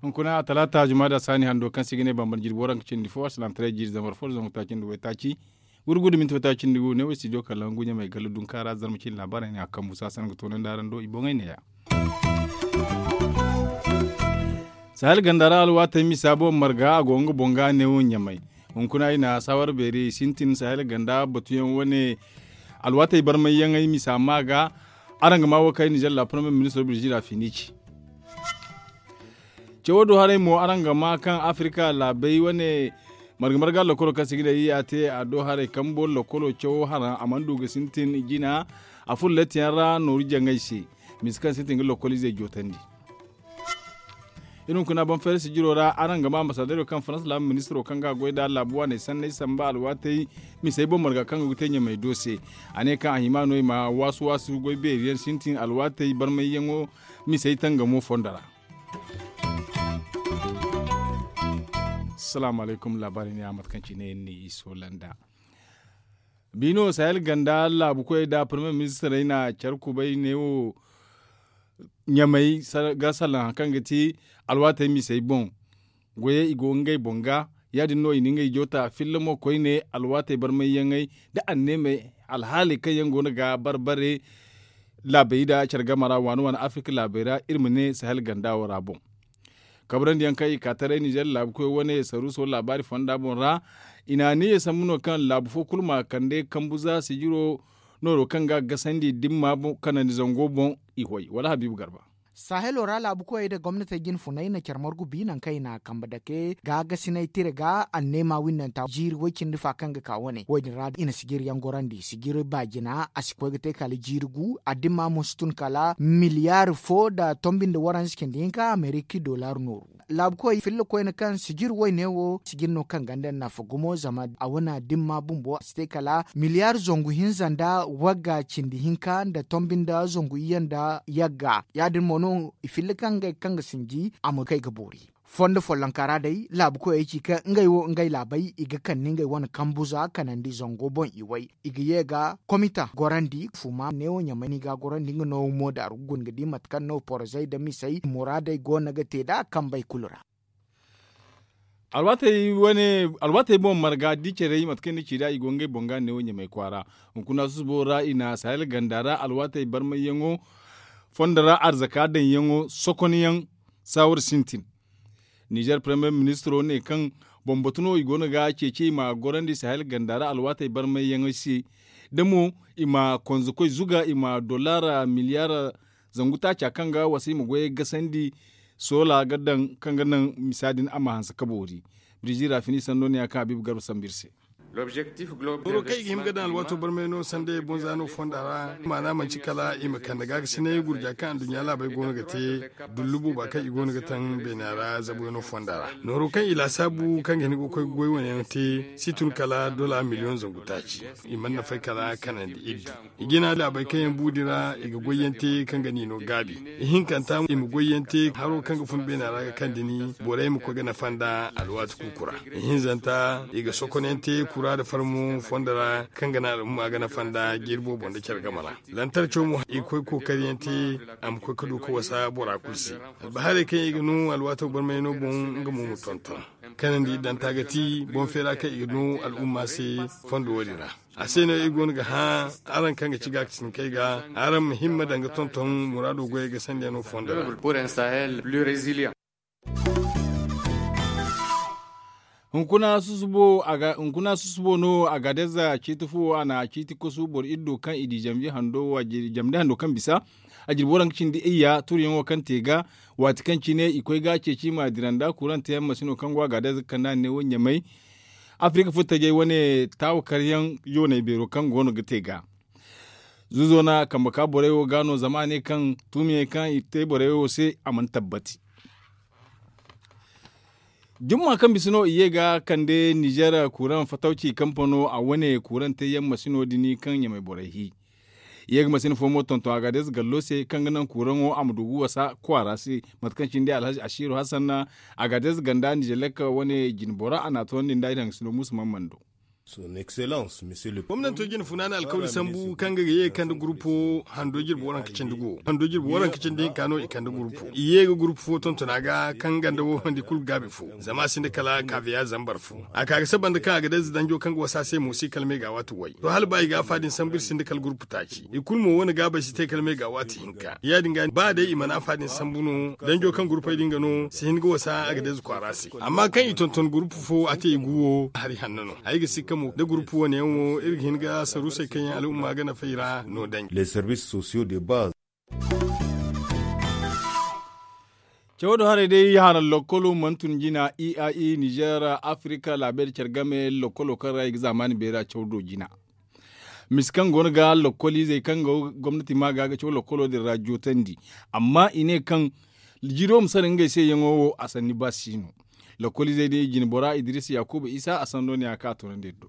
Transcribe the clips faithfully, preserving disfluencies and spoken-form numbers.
Hunkuna a talaata jumaada saani hando kaŋ se i ga ne bambara jirbi waranka cindi fo a salaamataray jiiri zambar fo da zangu taaci nda waytaaci. Gurgudu minti waytaaci nda gu ne wo studio kala hangu ɲamay galla dunka ra zarma cindi laabaarey ne a kambu saasana ga toonandi araŋ do i boŋey neeya. Sahel ganda ra alwaatey misa boŋ marga a go nga boŋ ga ne wo ɲamay. Hunkuna i na saawar beeri sintin sahel ganda batuyaŋ wane. Alwaatey barmayyaŋey misa ma ga araŋ ga ma wo kay nizer la premier ministro birjira finici. Cawo do haray mo araŋ ga ma kaŋ afirika laabey wane marga marga lokolo kaŋ se ga ne i ya te a do haray kambo lokolo cawo haraŋ a mana du ga sintin jina. A furo lettiyaŋ ra nooru jaŋay se misa kaŋ sintin ga lokol izey jootandi. Iri hunkuna banfayra sijiro ra araŋ ga ma ambasadero kaŋ farans laabu ministiro kaŋ ga a goy nd'a laabu waaney sanney samba alwaatey misey boŋ marga kaŋ go ga te ɲamay do se. A ne kaŋ a hima no i ma waasu waasu goy beeri yaŋ sintin alwaatey barmayyaŋo misey tangamo fondo ra. Salaamu alaykum laabaarey ne a mate kaŋ cine ni i soolanda. Biino sahel ganda laabu koyey nda premier ministirey na care kubay ne wo ɲamay ga salaŋ hari kaŋ ga ti alwaatey misey boŋ. Goyey i go ngey boŋ ga ya- din no i na ngey joota filla mo koyne alwaatey barmayyaŋey nda anneemey alhaaley kaŋ yaŋ go no ga barbare. Laabey nda care game ra waani waani afirka laabey ra iri ma ne sahel ganda wo ra boŋ. Kabrandi yaŋ kaŋ i ka taray nizer laabu koy wane saruuso laabaari fonda boŋ ra. I na a niiya sambu no kaŋ laabu fo kulu ma kande kambu za sijiro nooro kaŋ ga a gasandi dimma kanandi zango boŋ. I hoy wala habiibu garba. Sahelo ra laabu koyey nda gomnatey jine funay na care margu bi nangu kaŋ i na a kambe dake gaagasinay tira ga anneema winnanta jiiri way- cindi fa kaŋ ga ka wane wo- din ra i na sijiri yaŋ gorandi sijiri baajina a si koy ga te kala jiiri gu a dimma mo si tun kala miliyaari fo nda tombi nda waranza cindi hinka ameriki dollar nooru. Laabu koy filla koyne kaŋ sijiri wayne wo sijiri no kaŋ ganda nafa gumo zama a wane dimma bumbo a si te kala miliyaari zangu hinza nda wagga cindi hinka nda tombi nda zangu iyye nda yagga ya- din mo no i filla kaŋ ngey kaŋ ga sinji a ma kay ga boori. Fondo follonka ra day laabu koyey ci kaŋ ngey wo ngey laabey i ga kande ngey wane kambuza kanandi zango boŋ i way i ga ye ga komita gorandi fuma neewo ɲamay no i ga a gorandi nga no mo daaru ga guna ga di mate kaŋ no porozey nda misey muraadey go no ga te nd'a kambey kulu ra. Alwaatey boŋ marga da i carey mate kaŋ ni ci nd'a i go ngey boŋ ga neewo ɲamay kwaara. Hunkuna susubo ra i na sahel ganda ra alwaatey barmayyaŋo fondo ra arzaka daŋyaŋo sokonyaŋ saawar sintin. Nizer premier ministiro ne kaŋ bambatu no i go no ga ceeci i ma gorandi sahel ganda ra alwaatey barmayyaŋey se da mo i ma konzokoy zuga i ma dollar miliyaar zangu taaca kaŋ ga wasa i ma goyey gasandi soola ga daŋ kaŋ ga naŋ misa din a ma hanse ka boori. Birjira fini sando ne ya kaŋ habiibu garba sambu iri se. Boro kaŋ i ga hima ga daŋ alwaato barmay no sanda i boŋ za no fonda ra maana manci kala i ma kande gaagasinay gurja kaŋ anduɲɲa laabey go no ga te dullu booba kaŋ i go no ga taŋ beena ra zabuyaŋo fonda ra nooro kaŋ i laasaabu kaŋ ga hin ga koy ga goy wane yaŋ te si tun kala dola miliyoŋ zangu taaci. I mana nafay kala kanandi iddu i jina laabey kaŋ yaŋ bu din ra i ga goyyaŋ te kaŋ ga niino gaabi. Ihinkanta i ma goyyaŋ te haro kaŋ ga fun beena ra ga kande ni borey ma koy ga nafa nda alwaati kuuku ra. Ihinzanta i ga sokonyaŋ te kura nda farmo fondo ra kaŋ ga naŋ al'umma ga nafa nda jiiri boobo nda care game ra. Lantarco mo i ga koy ga kookariyaŋ te a ma koy ga du ga wasa bora kulu se. Albahaarey kaŋ i ga no alwaato barmayno boŋ nga mo ma tonton kanandi idanta ga ti boŋ feera kaŋ i ga no al'umma se fondo wo- din ra. A se no iri go no ga hã araŋ kaŋ ga ci gaakasinkey ga araŋ ma himma daŋ ga tonton muraado goyey ga sandiyaŋo fondo ra. Hunkuna susubo no a ga deza ciiti fuwo a na ciiti kasu boro iri do kaŋ i di jamndi hando kaŋ bisa a jirbi waranka cindi iyya turuyaŋo kaŋ te ga waati kaŋ cine i koy ga a ceeci ma dira nda kurante yaŋ masino kaŋ go a ga deza ga kande a ne wo ɲamay. Afirika furtajey wane taawakaryaŋ yooney beero kaŋ go no ga te ga zuzo na kambe ka borey wo ga no zama a ne kaŋ tuumiyaŋ kaŋ i te borey wo se a mana tabbati. Jumma kaŋ bisa no i ye ga kande nizer kuraŋ fatawci kampano a wane kuraŋ te yaŋ masino din kaŋ ɲamay borey hi. I ye ga masina fo mo tonton agadez gallo se kaŋ ga naŋ kuuraŋo a ma du ga wasa kwaara se. Mate kaŋ cine day alhazi asiru hasan agadez ganda nizelek wane jine bora a n'a toonandi nda iri hangasino musa man mando. Gomnanto jine funa na alkawli sambu kaŋ ga ye ga kande gurupo hando jirbi waranka cindi go hando jirbi waranka cindi hinka no i kande gurupo i ye ga gurupo fo tontona ga kaŋ ganda wo handi kulu ga gaabi fo. Zama a sinda kala kaabiya zambar fo a ka ga saba nda kaŋ a ga day za danjo kaŋ ga wasa se mo si kala me ga a waati way to hala ba i ga a fa din sambu iri sinda kala gurupo taaci i kulu mo wane gaabay si te kala me ga a waati hinka ya- din ga ba day i mana a fa din sambu no danjo kaŋ gurupey din ga no si hin ga wasa a ga day za kwaara se. Amma kaŋ i tonton gurupu fo a te i guwo hari hanno no. Ay ga sikka mo da gurupu wane yaŋ wo iri ga hin ga saruusey kaŋ yaŋ al'umma ga nafay ra no danji. Cawo do haray day haraŋ lokkolo mana tun jina i a i nizer afirika laabey da care game lokkolo kaŋ ra i ga zaamaani beera cawo do jina. Mise kaŋ go no ga lokkoliizey kaŋ go gomnati ma ga ga caw lokkolo din ra jootandi. Amma i ne kaŋ jiiro ma sara ngey se yaŋo wo a sanni ba si no. Lokkoliizey din i jine bora idiriisa yaakuba isa a sando ne ya kaŋ a toonandi iri do.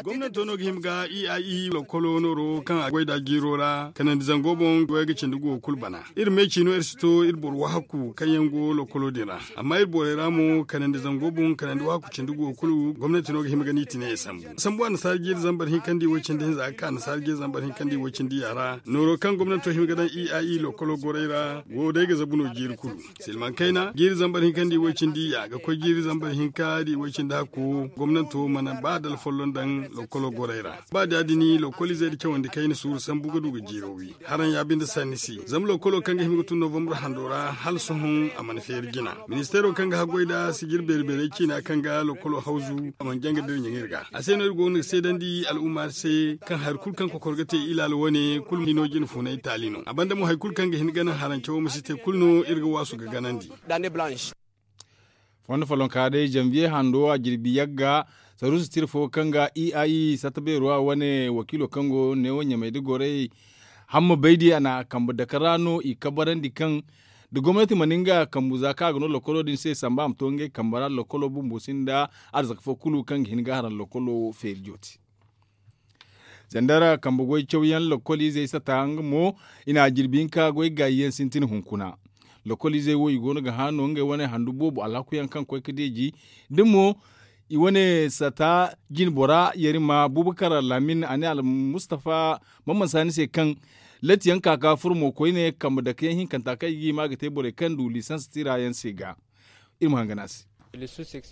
Gomnanto no ga hima ga i a i lokkolo nooro kaŋ a goy nd'a jiiro ra kanandi zango boŋ goy ga cindi guwo kulu bana. Iri me ciino iri si to iri boro wahakku kaŋ yaŋ go lokkolo din ra. Amma iri borey ra mo kanandi zango boŋ kanandi wahakku cindi guwo kulu gomnanti no ga hima ga ni tine i sambu. Sambu annasaara jiiri zambar hinka nda i way cindi hinza ga ka annasaara jiiri zambar hinka nda i way cindi yaara nooro kaŋ gomnanto hima ga daŋ i a i lokkolo gorey ra go day ga zabu no jiiri kulu. Silmaŋ kayna jiiri zambar hinka nda i way cindi ya ga koy jiiri zambar hinka nda i way cindi hakku gomnanto mana ba dala folloŋ daŋ lokkolo gorey ra. Ba da ya- din lokkoliizey nda cawandi kayna suuru sambu ga du ga jiiro wi. Haraŋ ya binde sanni si zama lokkolo kaŋ ga hima ga tun novambur hando ra hala sohõ a mana feeri jina. Ministeero kaŋ ga haggoy nd'a sijir beeri beerey ciina kaŋ ga lokkolo hawzu a mana janga da iri ɲaŋ iri ga. A se no iri go no ga seedandi al'umma se kaŋ hari kulu kaŋ kokor ga te ilaalo wane kulu hino jine funay taali no a banda mo hari kulu kaŋ ga hin ga naŋ haraŋ cawo ma si te kulu no iri ga waasu ga ganandi. Fondo follonka day zanviye hando a jirbi yagga saruusa tira fo kaŋ ga i a i satta beero a wane wakiilo kaŋ go neewo ɲamey da gorey hamma baydi a na kambe dake ra no i kabarandi kaŋ da gomnati mana nga kambu za kaŋ a ga no lokkolo din se samba a ma to ngey kambe ra lokkolo bumbo sinda arzaka fo kulu kaŋ ga hin ga haraŋ lokkolo feeri jooti. Zandara kambe goy cawyaŋ lokkoliizey sata nga mo i na jirbi hinka goy gaayi yaŋ sintin hunkuna. Lokkoliizey wo i go no ga hã no ngey wane handu boobo alhakuyaŋ kaŋ koy ga deeji da mo i wane sata jine bora yarima bubakar lamin a ne almustafa mamman saani se kaŋ latiyaŋ ka ga furo mo koyne kambe dake yaŋ hinkanta kaŋ i ga hima ga te borey kaŋ du lisans tira yaŋ se ga. Iri ma hangan a se.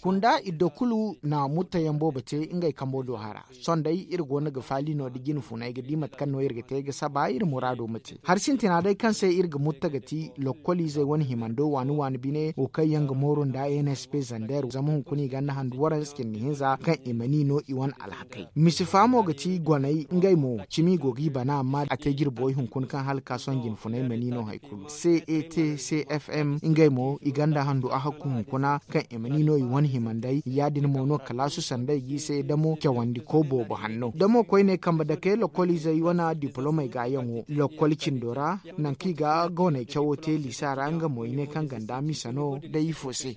Kunda iddo kulu na muttayaŋ boobo te ngey kambo do hara. Sohõ day iri go no ga faali no da jine funay ga di mate kaŋ no iri ga te ga saba iri muraado ma te hari sintina day kaŋ se iri ga mutta ga ti lokkoliizey wane himando waani waani bine wo kaŋ yaŋ ga mooru nda nsp zander zama hunkuna i ganda handu waranza cindi hinza kaŋ i mana i no i wane alhakey. Misi faamo ga ti goney ngey mo cimi go g'i bana amma a te jirbo hunkuna kaŋ hala ka sohõ jine funay mana i no hari kulu catcfm ngey mo i ganda handu a hakku hunkuna kaŋ i ma ni no i wane himandey ya- din mo no kalaasu sanday g'i se damo cawandiko boobo hanno damo koyne kambe dake lokkoliizey wane diplomey gaayaŋo lokkol cindo ra nangu kaŋ i ga gooney cawo te liisa ra nga mo i ne kaŋ ganda misa no day ifo se.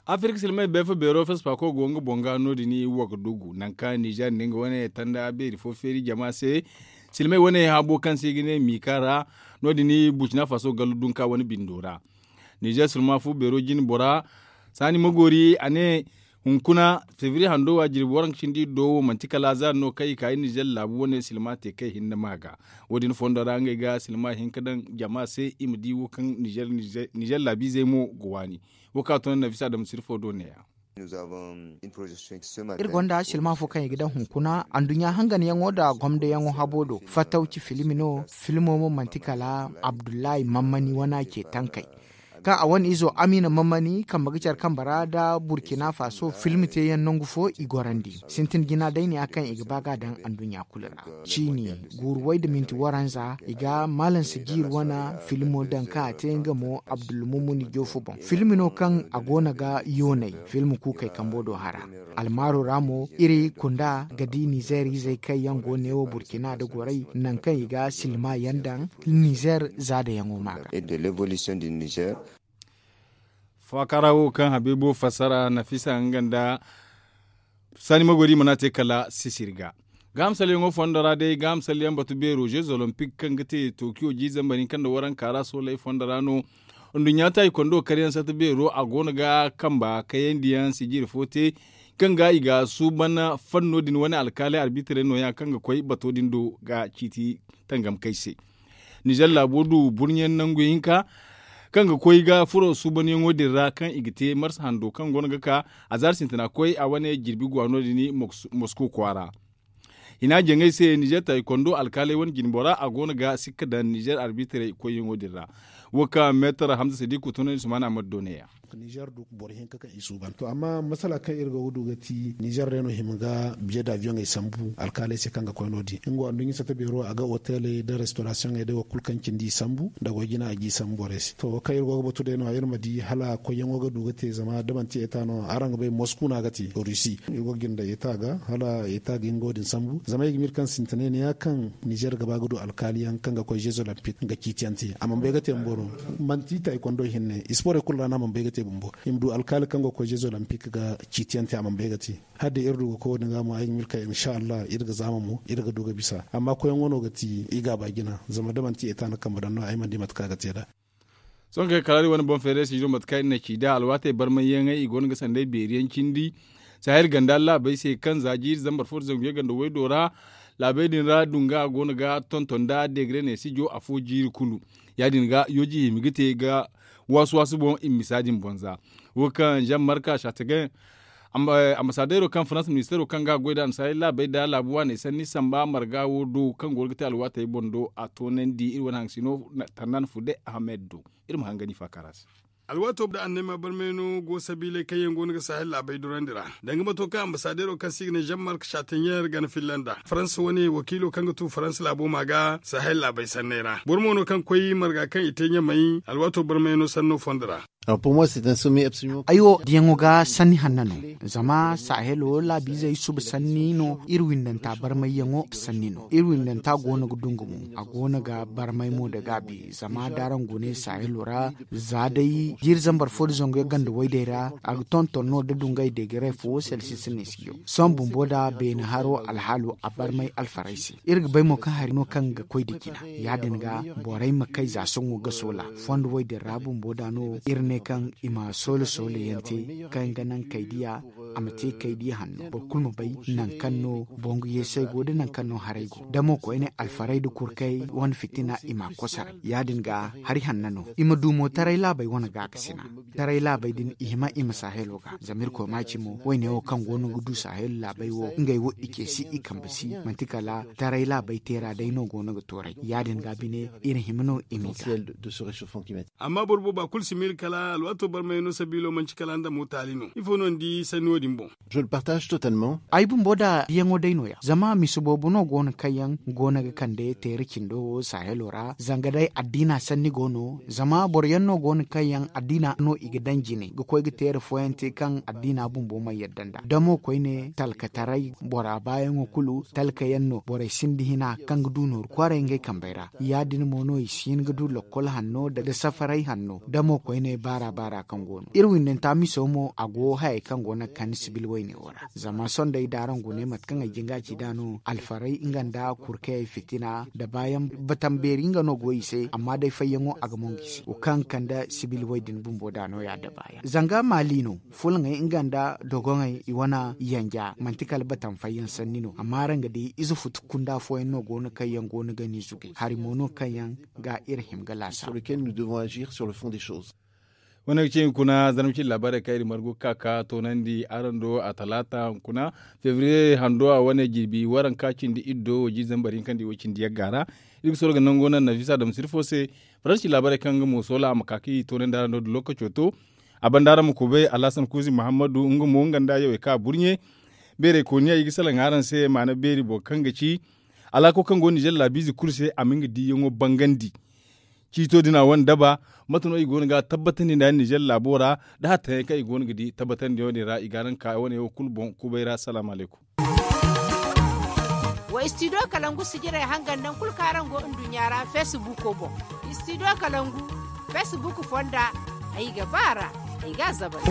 Afirka silmay beefa beero fesfako go nga boŋ ga no- din wagadugu nangu kaŋ nizer nda nga wane tanda beeri fo feeri jama se. Silmay wane habo kaŋ se i ga ne mika ra no- din burkina faso gallu dunka wane bindo ra. Nizer silma fu beero jine bora saani magoori a ne hunkuna fevriye hando wa jirbi waranka cindi do wo manti kala zaari no kaŋ i ka i nizer laabu wane silma te kay hinne ma ga. Wo- din fondo ra ngey ga silma hin ga daŋ jama se i ma di wo kaŋ nizer laabiizey mo ga waani. Wo kaŋ a to nafisa dam sirfo do neeya. Iri gonda silma fo kaŋ i ga daŋ hunkuna anduɲɲa hanganyaŋo nda gomdayaŋo habo do fatawci filmi no filmo mo manti kala abdullahi mammani wana ce tankey. Kaŋ a wane izo amina mammani kambe ga care kambe ra nda burkina faso filmi teyaŋ nangu fo i gorandi sintin jina day ne ya kaŋ i ga ba ga daŋ anduɲɲa kulu ra. Ciini guuru way nda minti waranza i ga maalam sajiir wane filmo daŋ kaŋ a te nga mo abdulmumuni joofu boŋ filmi no kaŋ a go no ga yoonay filmi kuukey kambo do hara. Almaaro ra mo iri kunda ga di nizeer izey kaŋ yaŋ go neewo burkina nda goray nangu kaŋ i ga silma yaŋ daŋ nizeer zaadayaŋo ma ga. Faakara wo kaŋ habiibu fassara nafisa nga nda Saani magori mana te kala sisiri ga. Gaaham salyaŋo fondo ra day gaaham salyaŋ batu beero jeux olympique kaŋ ga te tokiyo jiiri zambar hinka nda waranka ra sooley fondo ra no. Nduɲɲa taaykondo karyaŋ sata beero a go no ga kamba kayandiyaŋ sijiri fo te kaŋ ga i ga suuban fanno din wane alkaaley arbitirey nooya kaŋ ga koy bato din do ga ciiti tangam kay se. Nizer laabo du burɲe nangu hinka kaŋ ga koy ga furo suubanyaŋo din ra kaŋ i ga te marsa hando kaŋ go no ga ka azaari sintina koy a wane jirbi gwa no- din mosko kwaara. Hina jaŋay se nizer taaykondo alkaaley wane jinbo ra a go no ga sikka daŋ nizer arbitirey koyyaŋo din ra. Wo kaŋ meetar hamza sadiku tunandi sumana ma doone ya. Nizer du boro hinka kaŋ i suuban to amma masala kaŋ iri go ga du ga ti nizer day no hima ga biye da abiyoŋey sambu alkaaley se kaŋ ga koy no- din nga wo anduɲɲa sata beero a ga oteley nda restorasiyoŋey day wo kulu kaŋ cindi i sambu nda goy jina a ga i sambu borey se to wo kaŋ iri go ga batu day no- ya iri ma di hala koyyaŋo ga du ga te zama da manti eta no araŋ ga bay mosku no a ga te rusi iri go ga jinde eta ga hala eta ga nga wo- din sambu zama i ga miiri kaŋ sintinay ne ya kaŋ nizer ga ba ga du alkaaliyaŋ kaŋ ga koy jeux olympique ga ciitiyaŋ te a mana bay ga te bumbo no. Manti taaykondo hinne sporey kulu ra no a mana bay ga te bumbo i ma du alkaali kaŋ go ga koy jeux olympique ga ciitiyaŋ te a mana bay ga te. Hala day iri du ga koy wo- din ga mo ay ga miiri kaŋ insa allah iri ga zaama mo iri ga du ga bisa amma koyyaŋo no ga ti i ga a ba jina zama da manti eta no kambe daŋ no ay mana di mate kaŋ a ga te nd'a. Sohõ kala iri wane boŋ feeray sizo mate kaŋ iri na ci nd'a alwaatey barmayyaŋey i go no ga sanday beeri yaŋ cindi. Sahel ganda laabey se kaŋ za jiiri zambar fo nda zangu yaŋ ganda waydo ra laabey din ra dunga go no ga tonton nda degre ne sijo afo jiiri kulu. Ya- din ga yooji hima ga te ga waasu waasu boŋ i ma misa din boŋ za. Wo kaŋ zammarka satagen ambasadeero kaŋ farans ministeero kaŋ ga a goy nd'a annasaarey laabey nda laabu waaney sanni samba marga wo do kaŋ go no ga te alwaatey boŋ do a toonandi iri wane haŋ sino. Tannaan fude ahmed do iri ma hangani faakara se. Alwaato da annay ma barmay no go sabiiley kaŋ yaŋ go no ga sahel laabey durandi ra danga mato kaŋ annasadeero kaŋ se i ga ne zammarka satagen gana filla nd'a farans wane wakiilo kaŋ ga tu farans laabo ma ga sahel laabey sanney ra boro mo no kaŋ koy marga kaŋ i te ɲamay alwaato barmay no sanno fondo ra. Ay wo diyaŋo ga sanni hanna no. Zama sahelo laabiizey suba sanni no iri windanta barmayyaŋo sanni no iri windanta go no ga dungu mo a go no ga barmay mo nda gaabi zama da araŋ gune sahelo ra za day jiiri zambar fo nda zangu yaŋ ganda waydey ra a ga tonton no nda dungay degeray fo selsis ne si yo sohõ bumbo nda beene haro alhaalo a barmay alfaray se. Iri ga bay mo kaŋ hari no kaŋ ga koy nda jina ya- din ga borey ma kay za sohõ ga soola fondo way din ra bumbo da no iri ne kaŋ i ma soola soola yaŋ te kaŋ ga naŋ kay diya a ma te kay diya hanno boro kulu ma bay naŋ kaŋ no bongu yeesey go nda naŋ kaŋ no haray go da mo koyne alfaray nda kurkay wane fitina i m'a kosaray ya- din ga hari hanna no i ma du mo taray laabey wane gaakasina. Taray laabey din i hima i ma sahelo ga zama irkoy ma ci mo wayne wo kaŋ go no ga du sahelo laabey wo ngey wo i ce si i kambe si manti kala taray laabey teera day no go no ga tooray ya- din ga bine iri hima no i m'i ga. Amma boro booba kulu si miila kala alwaato barmay no sabiilo manci kala nda mo taali no ifo no ni di sanni wo- din boŋ? Ay bumbo nda diyaŋo day no- ya zama mise boobo no go no kaŋ yaŋ go no ga kande teera cindo wo sahelo ra zanga day addiina sanni go no zama boro yaŋ no go no kaŋ yaŋ addiina no i ga daŋ jine ga koy ga teera fooyaŋ te kaŋ addiina bumbo mana yadda nd'a da mo koyne talkataray bora baayaŋo kulu talka yaŋ no borey sinda hina kaŋ ga du nooru kwaaray ngey kambey ra ya- din mo no i si hin ga du lokkol hanno nda safaray hanno da mo koyne baara baara kaŋ go no iri windanta miso mo a go hayey kaŋ go no ga kande sibil wayne wo ra zama sohõ day da araŋ gune mate kaŋ ay jinga ci nd'a no alfaray nga nda kurkayey fitina nda baayaŋ batambeeri nga no go i se amma day fayyaŋo a ga mongu i se wo kaŋ ga kande sibil way din bumbo nd'a no- ya nda baayaŋ zanga maali no fulaŋey nga nda dogoŋey i wane yanja manti kala batam fayyaŋ sanni no amma araŋ ga di ize futu kunda fooyaŋ no go no kaŋ yaŋ go no ga ni zugay hari mo no kaŋ yaŋ ga iri hima ga laasa. Wane ga ci hunkuna zarma cindi laabaarey kaŋ iri margu ga ka ga toonandi araŋ do a talaata hunkuna febriye hando a wane jirbi waranka cindi iddo wo jiiri zambar hinka nda i wo cindi yagga ra. Iri ga soro ga nango naŋ nafisa damsir fo se faransi laabaarey kaŋ nga mo soola a ma ka ga i toonandi araŋ do da lookaco to. A banda araŋ ma kubay alhasan kuuzi muhammadu nga mo nga nda yawey kaŋ a burɲe beerey kooniya i ga salaŋ araŋ se maana beeri boro kaŋ ga ci alaako kaŋ go nizer laabiize kulu se a ma nga diiyaŋo bangandi. Ciito din a wane daba mate no i go no ga a tabbatandi nda nizer laabo ra nda hattayaŋ kaŋ i go no ga di tabbatandiyaŋo din ra i ga araŋ ka wane wo kulu boŋ kubay ra salaamu alaykum. Wa studio kalangu sijirey hangan nangu kulu kaŋ araŋ go nduɲɲa ra feesibuuko boŋ. Studio kalangu feesibuuko fonda ay ga ba a ra ay ga a zabari.